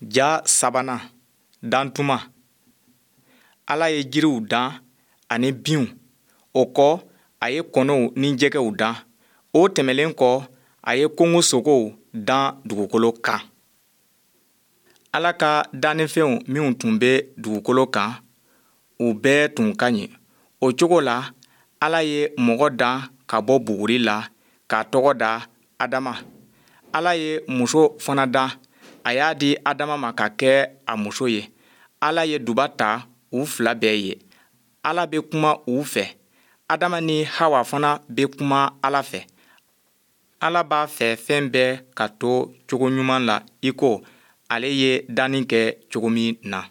Ja sabanan, Dantuma. Ala ye jiriw dan ani binw. O kɔ, a ye kɔnɔw ni jɛgɛw dan. O tɛmɛnlen kɔ, a ye kungosogow dan dugukolo kan. Ala ka dannifɛnw minw tun bɛ dugukolo kan, u bɛɛ tun ka ɲi. O cogo la, Ala ye mɔgɔ dan ka bɔ buguri la, k'a tɔgɔ da Adama. Ala ye muso fana dan, a y'a di Adama ma ka kɛ a muso ye. Ala ye duba ta u fila bɛɛ ye. Ala bɛ kuma u fɛ. Adama ni Hawa fana bɛ kuma Ala fɛ. Ala b'a fɛ fɛn bɛɛ ka to cogo ɲuman la i ko ale ye danni kɛ cogo min na.